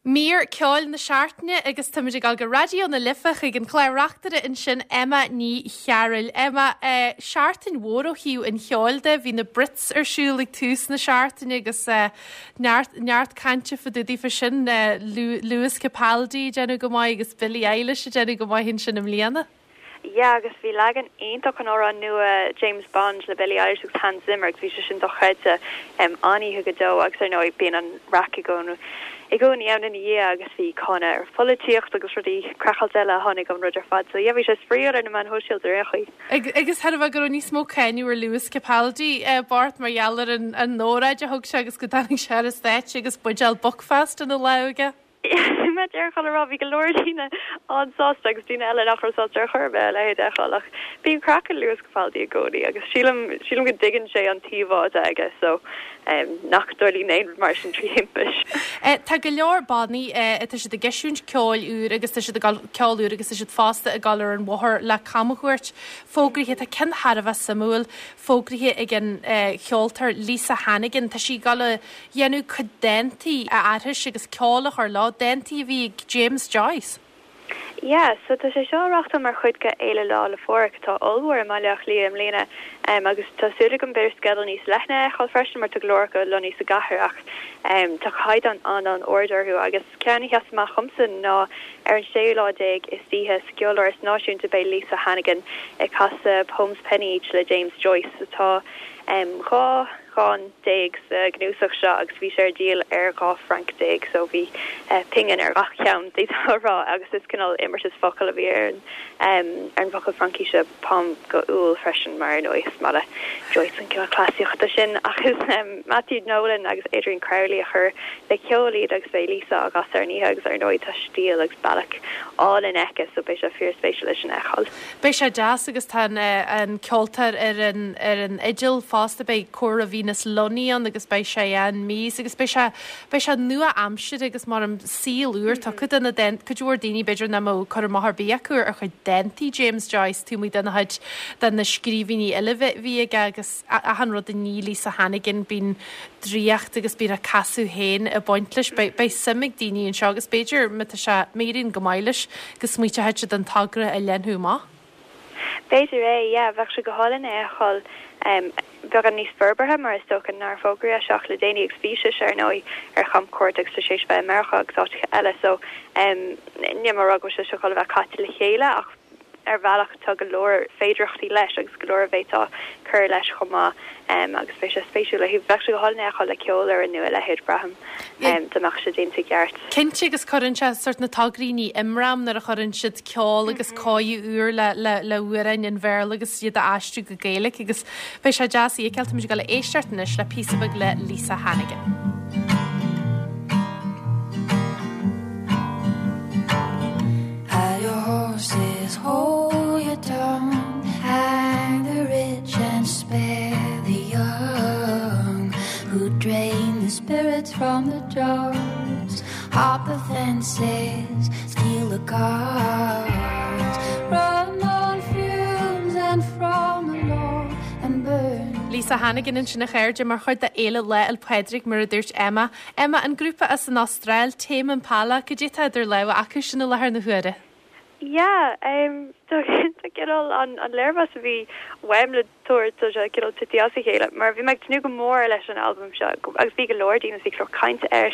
Mír ceoil na seachtaine agus táimid ag dul go Raidió na Life chuig an chlár-reachtaire ansin, Emma Ní Chearúil. Emma, seachtain mhór ó thaobh an cheoil de, bhí na Brits ar siúl ag tús na seachtaine agus neart, neart cainte fá dtaobh daofa sin, Lewis Capaldi ag déanamh go maith agus Billie Eilish ag déanamh go maith ansin i mbliana. Yeah agus bhí leagan iontach den amhrán nua James Bond le Billie Eilish agus Hans Zimmer agus bhí sé sin dochreidte an-oíche go deo agus ar ndóigh bíonn an raic i gcónaí i gcónaí ann ina dhiaidh agus bhí cáineadh ar pholaitíocht agus rudaí craiceáilte eile a tháinig ón rud ar fad so yeah bhí sé spraíúil ar na meáin shóisialta ar aon chaoi. Agus chóir a bheith go raibh níos mó cáineadh ar Lewis Capaldi bocht mar gheall ar an an óráid a thug sé agus go dtáinig sé ar an stáitse agus buidéal Buckfast ina lámh aige. Má déarfá le rá, bhí go leor daoine an-sásta agus daoine eile nach raibh sásta ar chor ar bith a leithéid a fheiceáil ach bíonn craic ag Lewis Capaldi i gcónaí agus sílim, sílim go dtuigeann sé an t-íomhá atá aige so nach dtarlaíonn aon rud mar sin trí thimpist. Tá go leor bannaí, tá siad ag eisiúint ceoil úr agus tá siad ag dul, ceol úr agus tá siad fosta ag dul ar an bhóthar le camchuairt fógraithe. Tá ceann thar a bheith suimiúil fógraithe ag an cheoltóir Lisa Hannigan. Tá sí ag dul a dhéanamh cuid dántaí a aithris agus ceol a chur leo, dántaí a bhí ag James Joyce. Yeah, so tá sé seo á reáchtáil mar chuid de Fhéile Lá 'le Phádraig atá ollmhór i mBaile Átha Cliath i mbliana agus tá súil agam b'fhéidir sceideal níos leithne a fheiceáil freisin mar tá go leor acu lonnaithe sa gcathair ach tá caighdeán an-an-ard orthu agus ceann a sheas amach dhomsa ná ar an séú lá déag istoíche sa gCeoláras Náisiúnta beidh Lisa Hannigan ag casadh Poems Penny Each le James Joyce atá 2 dhán sa gcnuasach seo agus bhí sé ar díol ar 12 franc so bhí pingin ar gach ceann d'fhéadfá a rá agus is cineál imeartas focal a bhí ar an ar an bhfocal Fraincise pomme go úll freisin mar ar ndóigh is maith le Joyce an cineál cleasaíochta sin ach is Matthew Nolan agus Adrian Crowley a chuir le ceol iad agus beidh Lisa á gcasadh ar an oíche agus ar ndóigh tá stíl agus bealach álainn aici so beidh sé fíorspéisiúil é sin a fheiceáil. Beidh sé deas agus tá an ceoltóir ar an ar an fhidil fosta, beidh cór Venus Lunny ann agus beidh Cheyenne Mees agus beidh sé beidh sé nua-aimseartha agus mar an saol úr tugtha do na dán cuid mhór daoine b'fhéidir nach mbeadh cur amach ar bith acu ar chuid dántaí James Joyce taobh amuigh de na chuid de na scríbhinní eile a bhí aige agus achan rud a ní Lisa Hannigan bíonn draíocht agus bíonn a casadh féin ag baint leis. Beidh beidh suim ag daoine anseo agus b'fhéidir má tá sé má éiríonn go maith leis go smaointeoidh siad an togra a leathnú amach. B'fhéidir é, yeah. Bheadh sé go hálainn é a fheiceáil beagán níos forbartha mar is dócha nár fógraíodh é seo ach le déanaí agus bhí sise ar ndóigh ar chamchuairt agus tá sé théis bheith i Meiriceá agus áiteacha eile so níl mé ag rá go bhfuil sé seo chun a bheith caite le chéile ach ar bhealach tá go leor féidearthachtaí leis agus go leor a bhféadfá cur leis chomh maith agus beidh sé spéisiúil. Bheadh sé go hálainn é a fheiceáil le ceol ar nó a leithéid, braithim, dá mbeadh sé déanta i gceart. Cinnte agus cuireann sé sort na tograí ní imram nuair a chuireann siad ceol agus cóiriú úr le le le hamhráin an Bhéarla agus iad a aistriú go Gaeilge agus beidh sé deas a fheiceáil. Táimid ag dul a éisteacht anois le píosa beag le Lisa Hannigan. Hide your horses, hold your tongue, hang the rich and spare the young, who drain the spirits from the jars, hop the fences, steal the cars, run on fumes and from the law and burn. Lisa Hannigan ansin a chairde mar chuid de Fhéile Lá 'le Pádraig mar a dúirt Emma. Emma, an grúpa as an Astráil, Tame Impala, cad é atá idir lámha acu sin i láthair na huaire? Yeah, tá cineál an léirmheas a bhí uaim le tabhairt, tá sé cineál tite as a chéile, mar bhí mé ag tnúth go mór leis an albam seo agus bhí go leor daoine, bhí go leor cainte air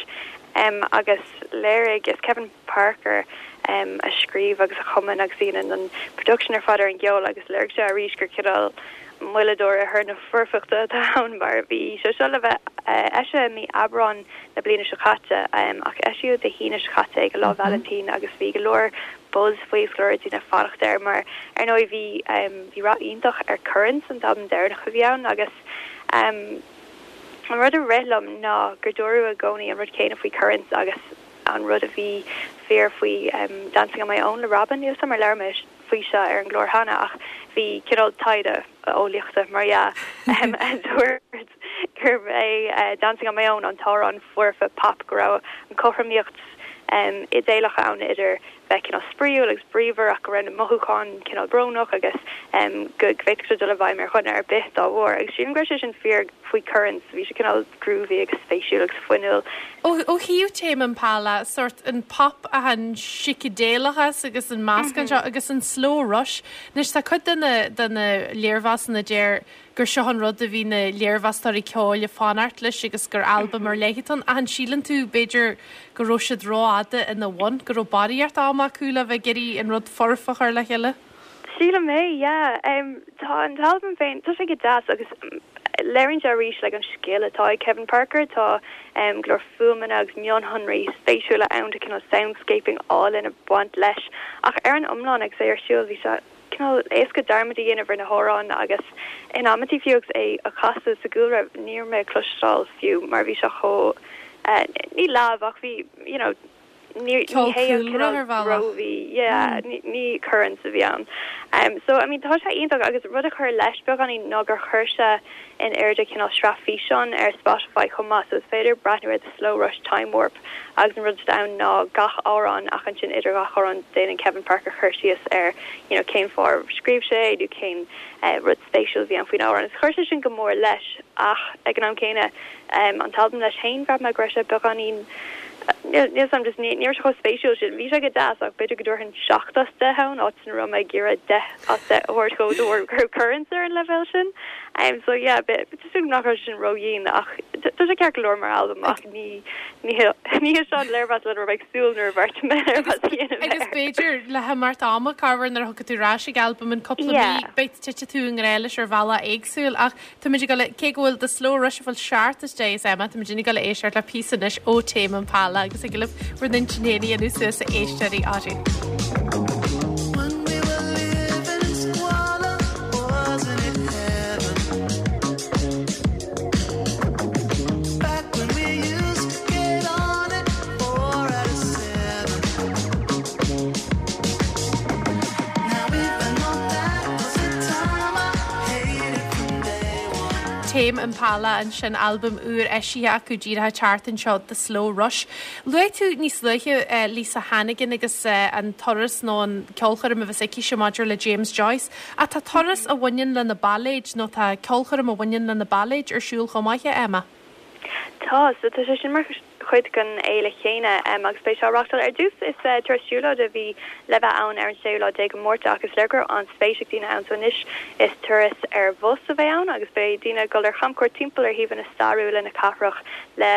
agus léirigh, is Kevin Parker a scríobh agus a chumann agus a dhéanann an production ar fad ar an gceol agus léirigh sé arís gur cineál moilleadóir ar thor na foirfeachta atá ann mar bhí sé seo le bheith eisithe i mí Aibreáin na bliana seo caite ach eisíodh Dé hAoine seo caite ag Lá Vailintín agus bhí go leor buzz faoi agus go leor daoine ag fanacht air mar ar ndóigh bhí bhí rath iontach ar Currents an t-albam deireanach a bhí ann agus an rud a rith liom ná gur dúradh i gcónaí an rud céanna faoi Currents agus an rud a bhí fíor faoi Dancing on My Own le Robyn, níl 'fhios a'm ar labhair mé faoi seo ar an gclár cheana ach bhí cineál taighde eolaíochta mar dhea a dúirt gurb é Dancing on My Own an t-amhrán foirfe pop go raibh an chothromaíocht idéalach ann idir bheith cineál spraíúil agus bríomhar ach go raibh na mothúcháin cineál brónach agus go bhféadfadh sé dul i bhfeidhm ar dhuine ar bith dá bharr agus sílim go raibh sé sin fíor. Faoi Currents, bhí sé cineál groovy agus spéisiúil agus fuinniúil. Ó thaobh Tame Impala, sórt an pop ach an sícidéalachas agus an meascán seo agus an slow rush. Anois tá cuid de na de na léirmheasanna a deir gur seo an rud a bhí na léirmheastóirí ceoil ag fanacht leis agus gur albam ar leith atá ann ach an síleann tú b'fhéidir go raibh siad rófhada ina bhun, go raibh barraíocht ama acu le bheith ag iarraidh an rud foirfe a chur le chéile? Sílim é, yeah. Tá an t-albam féin, tá sé go deas agus léiríonn sé arís like an scil atá ag Kevin Parker. Tá go leor fuaimeanna agus mionshonraí spéisiúla ann, tá cineál soundscaping álainn ag baint leis. Ach ar an iomlán agus é ar siúl bhí sé cineál éasca dearmad a dhéanamh ar na hamhráin agus in amantaí fiú agus é á chasadh sa gcúlra ní raibh mé ag cloisteáil fiú mar bhí sé chomh ní leamh ach bhí you know Ní Ceol hé an cúlra cineál ar bhealach. groovy, yeah, ní Currents a bhí ann. So, I mean, tá sé iontach agus rud a chuir leis beagáinín ná gur chuir sé in airde cineál sraith físeán ar Spotify chomh maith, so is féidir breathnú ar The Slow Rush Time Warp agus an rud atá ann ná gach amhrán ach ansin idir gach amhrán déanann Kevin Parker cur síos ar, you know, cén fáth ar scríobh sé é nó cén rud spéisiúil a bhí ann faoin amhrán. Agus chuir sé sin go mór leis ach ag an am céanna An t-albam leis féin, bhraith mé go raibh sé beagáinín, níl a fhios agam, just ní raibh sé chomh spéisiúil sin. Bhí sé go deas ach b'fhéidir go dtabharfainn 7 as 10 ann, áit ina raibh mé ag iarraidh 10 as 10 a thabhairt dhó de bharr go raibh Currents ar an leibhéal sin. So yeah, tá súil agam nach raibh sé sin ródhian ach tá sé ceart go leor mar albam ach ní ní ní hé seo an léirmheas lena raibh mé ag súil nuair a bheartaigh mé léirmheas a dhéanamh Agus air. b'fhéidir le himeacht ama, corruair nuair a thiocfaidh tú ar ais ag albam in cúpla mí, beidh titfidh tú i ngrá leis ar bhealach éagsúil ach Táimid ag dul, cé go bhfuil The Slow Rush ag fáil 7 as 10 as Emma, táimid ag dul a éisteacht le píosa anois ó Tame Impala agus thig libh bhur n-intinn féin a dhéanamh suas a éisteoirí oraibh. When we were living in squalor, wasn't it heaven? Back when we used to get on at 4 out of 7. Now even though that was the time I hated from day one. Tame Impala ansin, albam úr eisithe acu díreach an tseachtain seo, The Slow Rush. Luaigh tú níos luaithe Lisa Hannigan agus an turas nó an ceolchoirm a bheas aicise maidir le James Joyce. Ach tá turas a bhaineann le na bailéid nó tá ceolchoirm a bhaineann le na bailéid ar siúl chomh maith, a Emma? Tá, so tá sé sin mar chuid den fhéile chéanna agus beidh sé á reáchtáil ar dtús. Is turas siúlóide a bhí le bheith ann ar an séú lá déag de Mhárta ach is léir go raibh an-spéis ag daoine ann so anois is turas ar bhus a bheidh ann agus beidh daoine ag dul ar chamchuairt timpeall ar shuíomhanna stairiúla na cathrach le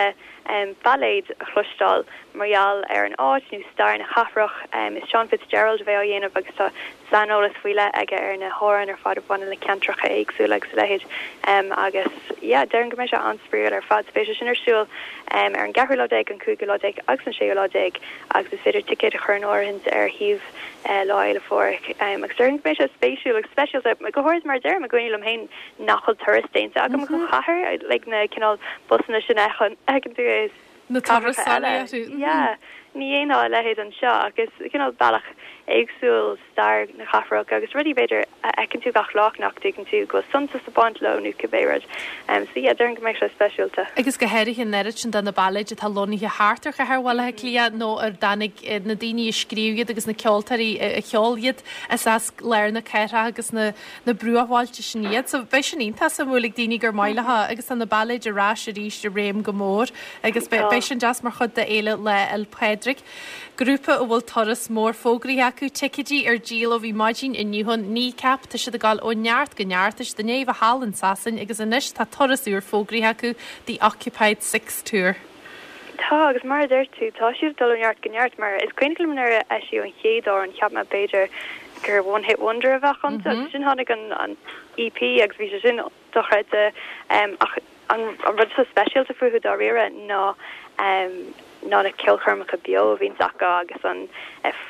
bailéid a chloisteáil mar gheall ar an áit nó stair na cathrach. Is Seán Fitzgerald a bheidh á dhéanamh agus tá saineolas faoi leith aige ar na hamhráin ar fad a bhaineann le ceantracha éagsúla agus a leithéid agus yeah déarfainn go mbeidh sé an-spraíúil ar fad. So beidh sé sin ar siúl ar an gceathrú lá déag, an cúigiú lá déag agus an séú lá déag agus is féidir ticéid a chur in áirithint ar shuíomh Lá Fhéile Phádraig agus déarfainn go mbeidh sé spéisiúil agus speisialta, go háirid mar deirim i gcónaí liom féin nach bhfuil turas déanta agam go chathair like na cineál busanna sin a fheiceann tú i Na cathracha turasóirí eile. orthu. Yeah, ní dhéanfá a leithéid anseo ach is cineál bealach éagsúil stair na cathrach agus rudaí b'fhéidir a fheiceann tú gach lá ach nach dtuigeann tú go bhfuil suntas ag baint leo nó cibé rud. So yeah, déarfainn go mbeidh sé speisialta. Agus go háirithe an oiread sin de na bailéid atá lonnaithe thart ar chathair Bhaile Átha Cliath nó ar dtáinig na daoine a scríobh iad agus na ceoltóirí a cheol iad is as lár na cathrach agus na na bruachbhailte sin iad. So beidh sin iontach suimiúil ag daoine gur maith leo agus tá na bailéid ar ais arís i réim go mór agus beidh sin deas mar chuid d'fhéile Lá 'le Pádraig. Grúpa a bhfuil turas mór fógraithe acu, ticéidí ar díol ó bhí maidin inniu ann, Kneecap, tá siad ag dul ó neart go neart, tá siad i ndiaidh a bheith thall in Sasain agus anois tá turas úr fógraithe acu, The Occupied Six Tour. Tá, agus mar a deir tú, tá siad ag dul ó neart go neart, mar is cuimhin liom nuair a eisíodh an chéad amhrán, cheap mé b'fhéidir gur one hit wonder a bheadh iontu, agus ansin tháinig an EP agus bhí sé sin dochreidte. Ach an rud atá speisialta fúthu dáiríre ná ná na ceolchoirmeacha beo a bhíonns acu agus an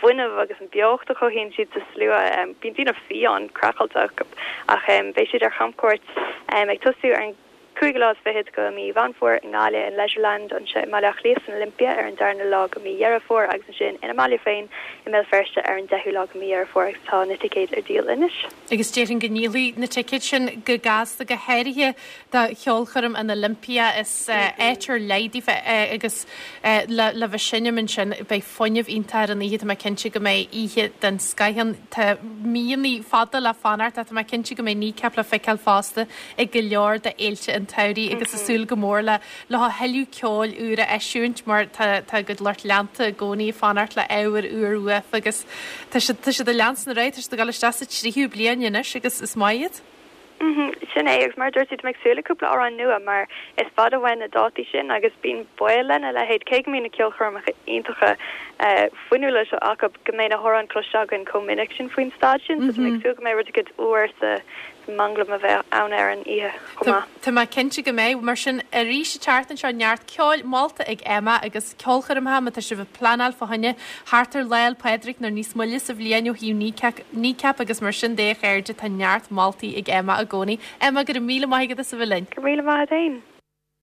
fuinneamh agus an beocht a chothaíonn siad sa slua. Bíonn daoine fiáin, craiceáilte ach beidh siad ar chamchuairt ag tosú ar an cúigiú lá is fichead de mhí Mheán Fómhair i nGaillimh in Leisureland, anseo i mBaile Átha Cliath san Olympia ar an darna lá de mhí Dheireadh Fómhair agus ansin ina mbaile féin i mBéal Feirste ar an deichiú lá de mhí Dheireadh Fómhair agus tá na ticéid ar díol anois. Agus déarfainn go ndíolfaidh na ticéid sin go gasta, go háirithe do cheolchoirm an Olympia. Is áit ar leith daofa agus le bheith ag seinm ansin beidh fuinneamh iontach ar an oíche, tá mé cinnte go mbeidh oíche den scoith ann. Tá míonna fada le fanacht ach tá mé cinnte go mbeidh Kneecap le feiceáil fosta ag go leor de fhéilte an. tsamhraidh agus ag súil go mór le leo a thuilleadh ceoil úr a eisiúint mar tá tá a gcuid lucht leanta i gcónaí ag fanacht le ábhar úr uafa agus tá siad tá siad ag leanstan ar aghaidh, tá siad ag dul isteach sa tríú bliain anois agus is maith iad. Sin é, agus mar a dúirt tú, tá mé ag súil le cúpla amhrán nua mar is fada uainn na dátaí sin agus bíonn baol lena leithéid, cé go mbíonn na ceolchoirmeacha iontacha fuinniúla seo acu, go mbeidh na hamhráin cloiste againn chomh minic sin faoin staid sin, so tá mé ag súil go mbeidh rud éicint úr sa manglam a bheidh ann ar an oíche chomh maith. Tá mé cinnte go mbeidh. Mar sin, arís an tseachtain seo, neart ceoil molta ag Emma agus ceolchoirmeacha má tá sibh ag pleanáil fá choinne thart ar Lá 'le Pádraig nó níos moille sa bhliain ó thaobh Kneecap agus mar sin de a chairde, tá neart moltaí ag Emma i gcónaí. Emma, go raibh míle maith agat as a bheith linn. Go raibh míle maith agat féin.